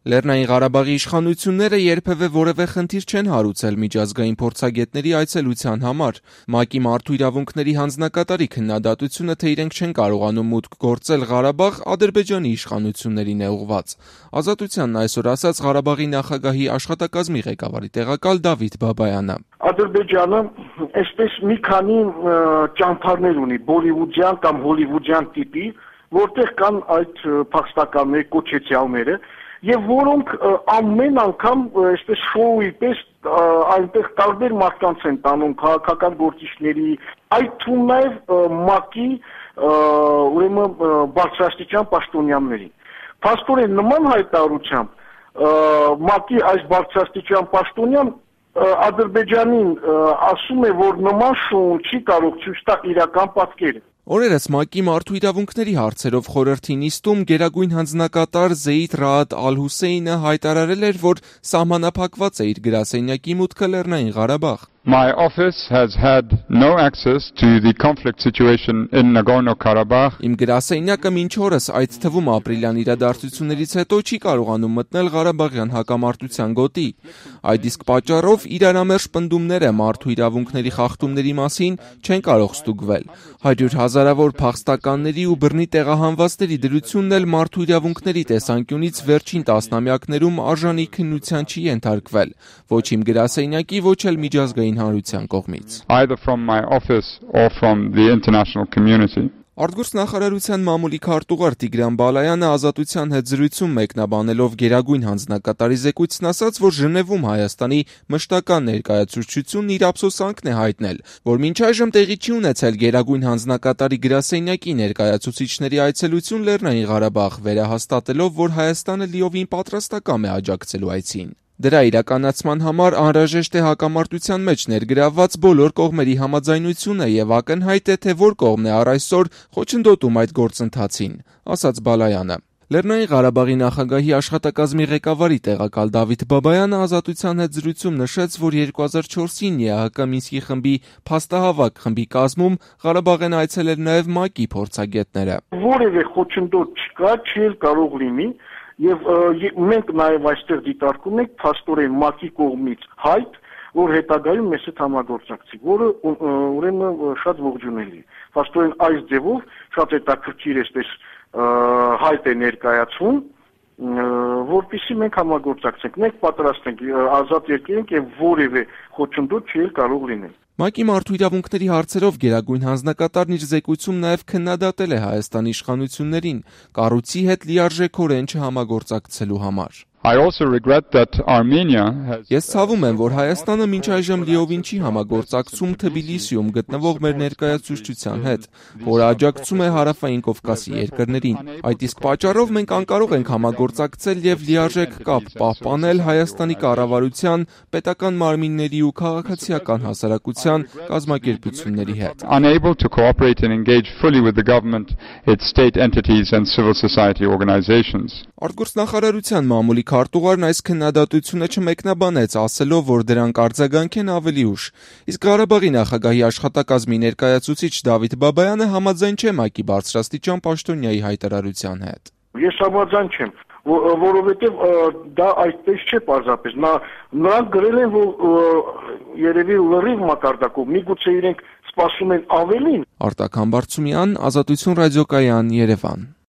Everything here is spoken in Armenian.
Լեռնային Ղարաբաղի իշխանությունները երբևէ որևէ խնդիր չեն հարուցել միջազգային փորձագետների այցելության համար։ ՄԱԿ-ի մարդու իրավունքների հանձնակատարի քննադատությունը, թե իրենք չեն կարողանում մուտք գործել Ղարաբաղ, Ադրբեջանի իշխանություններին է ուղղված։ Ազատությանն այսօր ասաց Ղարաբաղի նախագահի աշխատակազմի ղեկավարի տեղակալ Դավիթ Բաբայանը։ Ադրբեջանը այսպես մի քանի ճամփարներ ունի, բոլիվուդյան կամ հոլիվուդյան տիպի, որտեղ կան այդ փախստականներ, կոչեցյալները, եւ որոնք ամեն անգամ այսպես շոուի պես այնտեղ տարբեր մարդկանց են տանում, քաղաքական գործիչների, այդ թվում նաեւ ՄԱԿ-ի ուրեմն բարձրաստիճան պաշտոնյաների։ Փաստորեն նման հայտարարությամբ ՄԱԿ-ի այս բարձրաստիճան պաշտոնյան Ադրբեջանին ասում է, որ նման շոուն չի կարող ցույց տալ իրական պատկերը։ Օրերս ՄԱԿ-ի մարդու իրավունքների հարցերով խորհրդի նիստում գերագույն հանձնակատար Զեյդ Ռաադ Ալ-Հուսեյնը հայտարարել էր, որ սահմանափակված է իր գրասենյակի մուտքը Լեռնային Ղարաբաղ։ My office has had no access to the conflict situation in Nagorno-Karabakh. Իմ գրասենյակը մինչ օրս, այդ թվում ապրիլյան իրադարձություններից հետո չի կարողանում մտնել Ղարաբաղյան հակամարտության գոտի։ Այդ իսկ պատճառով իրարամերժ պնդումները մարդու իրավունքների խախտումների մասին չեն կարող ստուգվել։ 100 հազարավոր փախստականների ու բռնի տեղահանվածների դրությունն էլ մարդու իրավունքների տեսանկյունից վերջին տասնամյակներում արժանի քննության չի ենթարկվել։ Ոչ իմ գրասենյակի, ոչ էլ միջազգային հանրության կողմից։ Either from my office or from the international community. Արտգործ նախարարության մամուլի քարտուղար Տիգրան Բալայանը Ազատության հետ զրույցում մեկնաբանելով գերագույն հանձնակատարի զեկույցն ասաց, որ Ժնևում Հայաստանի մշտական ներկայացուցչությունն իր ափսոսանքն է հայտնել, որ մինչ այժմ տեղի չի ունեցել գերագույն հանձնակատարի գրասենյակի ներկայացուցիչների այցելություն Լեռնային Ղարաբաղ, վերահաստատելով, որ Հայաստանը լիովին պատրաստակամ է աջակցելու այցին։ Դրա իրականացման համար անհրաժեշտ է հակամարտության մեջ ներգրավված բոլոր կողմերի համաձայնությունը եւ ակնհայտ է, թե որ կողմն է առ այսօր խոչընդոտում այդ գործընթացին, ասաց Բալայանը։ Լեռնային Ղարաբաղի նախագահի աշխատակազմի ղեկավարի տեղակալ Դավիթ Բաբայանը Ազատության հետ զրույցում նշեց, որ 2004-ին ԵԱՀԿ Մինսկի խմբի փաստահավաք խմբի կազմում Ղարաբաղ են այցելել նաեւ ՄԱԿ-ի փորձագետները։ Որևէ խոչընդոտ չկա, չի կարող լինի։ Եվ մենք նաև այստեղ դիտարկում ենք փաստորեն ՄԱԿ-ի կողմից հայտ, որ հետագայում մեզ հետ համագործակցի, որը ուրեմն շատ ողջունելի է։ Փաստորեն այս ձևով շատ հետաքրքիր այսպես հայտ է ներկայացում, որպեսզի մենք համագործակցենք։ Մենք պատրաստ ենք ազատ երկիր ենք եւ որևէ խոչընդոտ չի կարող լինել։ ՄԱԿ-ի մարդու իրավունքների հարցերով գերագույն հանձնակատարն իր զեկույցում նաև քննադատել է Հայաստանի իշխանություններին կառույցի հետ լիարժեքորեն չհամագործակցելու համար։ I also regret that Armenia has Ես ցավում եմ, որ Հայաստանը մինչ այժմ լիովին չի համագործակցում Թբիլիսիում գտնվող մեր ներկայացուցչության հետ, որը աջակցում է Հարավային Կովկասի երկրներին։ Այդ իսկ պատճառով մենք անկարող ենք համագործակցել եւ լիարժեք կապ պահպանել Հայաստանի կառավարության, պետական մարմինների ու քաղաքացիական հասարակության կազմակերպությունների հետ։ Unable to cooperate and engage fully with the government, its state entities and civil society organizations. Արտգործ նախարարության մամուլի քարտուղարն այս քննադատությունը չմեկնաբանեց, ասելով, որ դրանք արձագանք են ավելի ուշ։ Իսկ Ղարաբաղի նախագահի աշխատակազմի ներկայացուցիչ Դավիթ Բաբայանը համաձայն չէ ՄԱԿ-ի բարձրաստիճան պաշտոնյայի հայտարարության հետ։ Ես համաձայն չեմ, որովհետև դա այդպես չէ պարզապես։ Նրանք գրել են, որ երևի լրիվ մակարդակով, միգուցե իրենք սպասում են ավելին։ Արտակ Համբարձումյան, Ազատություն ռադիոկայան, Երևան։